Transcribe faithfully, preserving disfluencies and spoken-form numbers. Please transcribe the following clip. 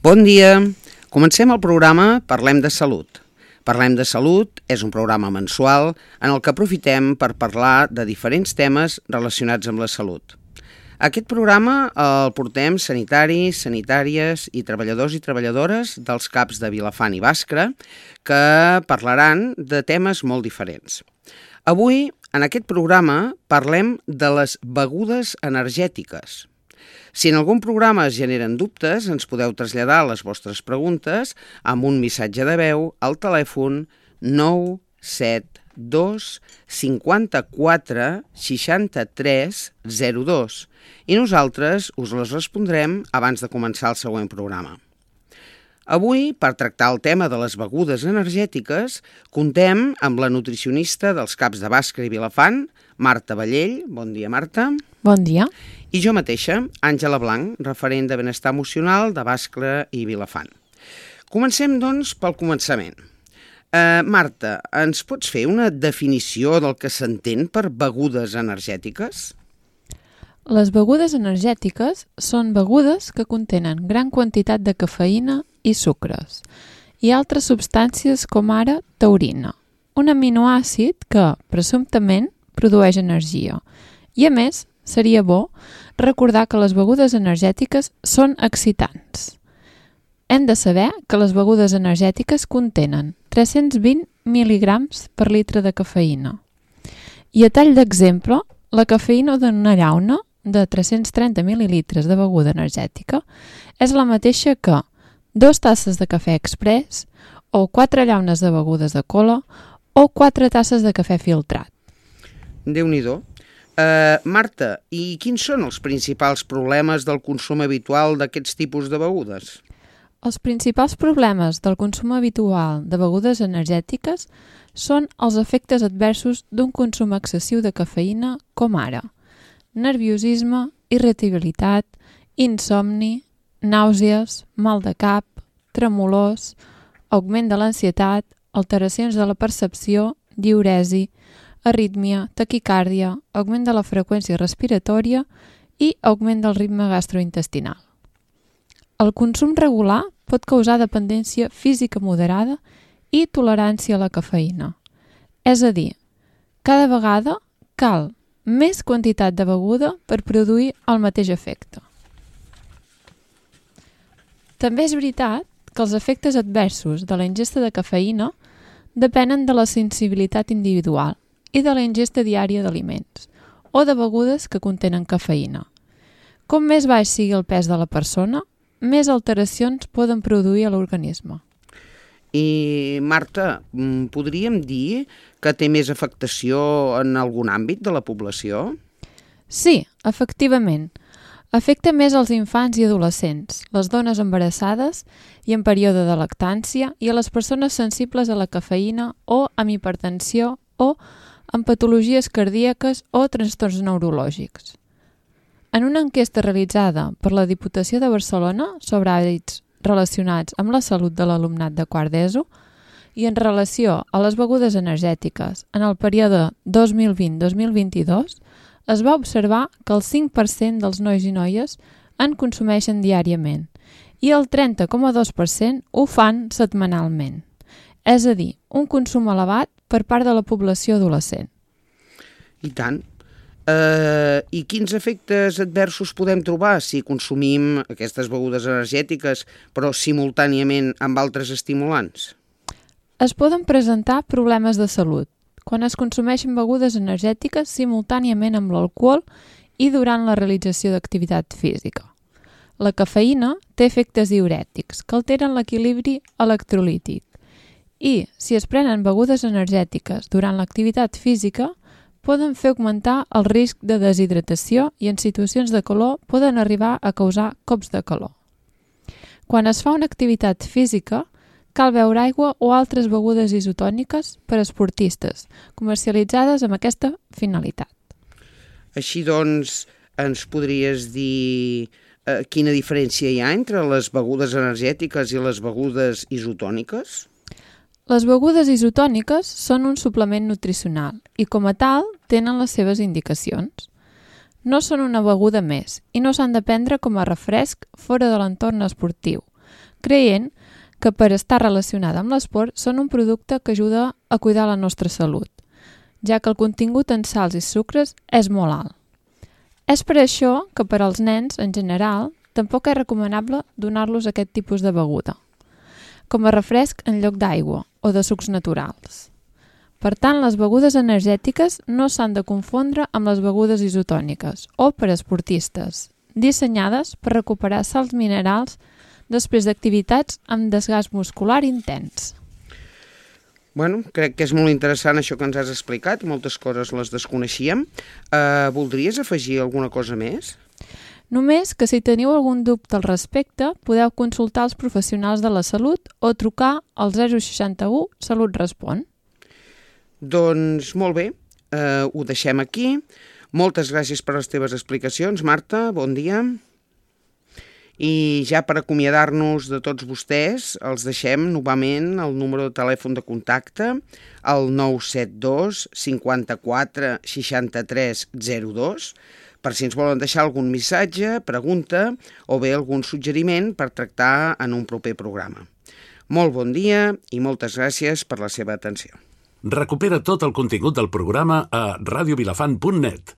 Bon dia. Comencem el programa Parlem de Salut. Parlem de Salut és un programa mensual en el que aprofitem per parlar de diferents temes relacionats amb la salut. Aquest programa el portem sanitaris, sanitàries i treballadors i treballadores dels C A Ps de Vilafant i Bàscara que parlaran de temes molt diferents. Avui, en aquest programa, parlem de les begudes energètiques. Si en algun programa es generen dubtes, ens podeu traslladar les vostres preguntes amb un missatge de veu al telèfon nou set dos cinquanta-quatre seixanta-tres zero dos i nosaltres us les respondrem abans de començar el següent programa. Avui, per tractar el tema de les begudes energètiques, contem amb la nutricionista dels C A Ps de Bàscara i Vilafant, Marta Vallell. Bon dia, Marta. Bon dia. I jo mateixa, Àngela Blanc, referent de benestar emocional de Bàscara i Vilafant. Comencem, doncs, pel començament. Uh, Marta, ens pots fer una definició del que s'entén per begudes energètiques? Les begudes energètiques són begudes que contenen gran quantitat de cafeïna i sucres i altres substàncies com ara taurina, un aminoàcid que, presumptament, produeix energia. I a més, seria bo recordar que les begudes energètiques són excitants. Hem de saber que les begudes energètiques contenen tres-cents vint mil·ligrams per litre de cafeïna. I a tall d'exemple, la cafeïna d'una llauna de tres-cents trenta mil·lilitres de beguda energètica és la mateixa que dos tasses de cafè express o quatre llaunes de begudes de cola o quatre tasses de cafè filtrat. Déu-n'hi-do. Uh, Marta, i quins són els principals problemes del consum habitual d'aquests tipus de begudes? Els principals problemes del consum habitual de begudes energètiques són els efectes adversos d'un consum excessiu de cafeïna com ara nerviosisme, irritabilitat, insomni, nàusees, mal de cap, tremolors, augment de l'ansietat, alteracions de la percepció, diüresi, arrítmia, taquicàrdia, augment de la freqüència respiratòria i augment del ritme gastrointestinal. El consum regular pot causar dependència física moderada i tolerància a la cafeïna. És a dir, cada vegada cal més quantitat de beguda per produir el mateix efecte. També és veritat que els efectes adversos de la ingesta de cafeïna depenen de la sensibilitat individual i de la ingesta diària d'aliments o de begudes que contenen cafeïna. Com més baix sigui el pes de la persona, més alteracions poden produir a l'organisme. I, Marta, podríem dir que té més afectació en algun àmbit de la població? Sí, efectivament. Afecta més als infants i adolescents, les dones embarassades i en període de lactància i a les persones sensibles a la cafeïna o amb hipertensió o amb patologies cardíaques o trastorns neurològics. En una enquesta realitzada per la Diputació de Barcelona sobre hàbits relacionats amb la salut de l'alumnat de quart d'ESO i en relació a les begudes energètiques en el període dos mil vint a dos mil vint-i-dos, es va observar que el cinc per cent dels nois i noies en consumeixen diàriament i el trenta coma dos per cent ho fan setmanalment. És a dir, un consum elevat per part de la població adolescent. I tant. Uh, I quins efectes adversos podem trobar si consumim aquestes begudes energètiques però simultàniament amb altres estimulants? Es poden presentar problemes de salut quan es consumeixen begudes energètiques simultàniament amb l'alcohol i durant la realització d'activitat física. La cafeïna té efectes diürètics que alteren l'equilibri electrolític i, si es prenen begudes energètiques durant l'activitat física, poden fer augmentar el risc de deshidratació i en situacions de calor poden arribar a causar cops de calor. Quan es fa una activitat física, cal beure aigua o altres begudes isotòniques per a esportistes, comercialitzades amb aquesta finalitat. Així doncs, ens podries dir eh, quina diferència hi ha entre les begudes energètiques i les begudes isotòniques? Les begudes isotòniques són un suplement nutricional i, com a tal, tenen les seves indicacions. No són una beguda més i no s'han de prendre com a refresc fora de l'entorn esportiu, creient que per estar relacionada amb l'esport són un producte que ajuda a cuidar la nostra salut, ja que el contingut en sals i sucres és molt alt. És per això que per als nens, en general, tampoc és recomanable donar-los aquest tipus de beguda, com a refresc en lloc d'aigua o de sucs naturals. Per tant, les begudes energètiques no s'han de confondre amb les begudes isotòniques o per a esportistes, dissenyades per recuperar sals minerals després d'activitats amb desgast muscular intens. Bueno, crec que és molt interessant això que ens has explicat, moltes coses les desconeixíem. Uh, voldries afegir alguna cosa més? Només que si teniu algun dubte al respecte, podeu consultar els professionals de la salut o trucar al zero seixanta-u Salut Respon. Doncs molt bé, uh, ho deixem aquí. Moltes gràcies per les teves explicacions, Marta, bon dia. I ja per acomiadar-nos de tots vostès, els deixem novament el número de telèfon de contacte, el nou set dos cinquanta-quatre seixanta-tres zero dos, per si ens volen deixar algun missatge, pregunta o bé algun suggeriment per tractar en un proper programa. Molt bon dia i moltes gràcies per la seva atenció. Recupera tot el contingut del programa a radio vilafant punt net.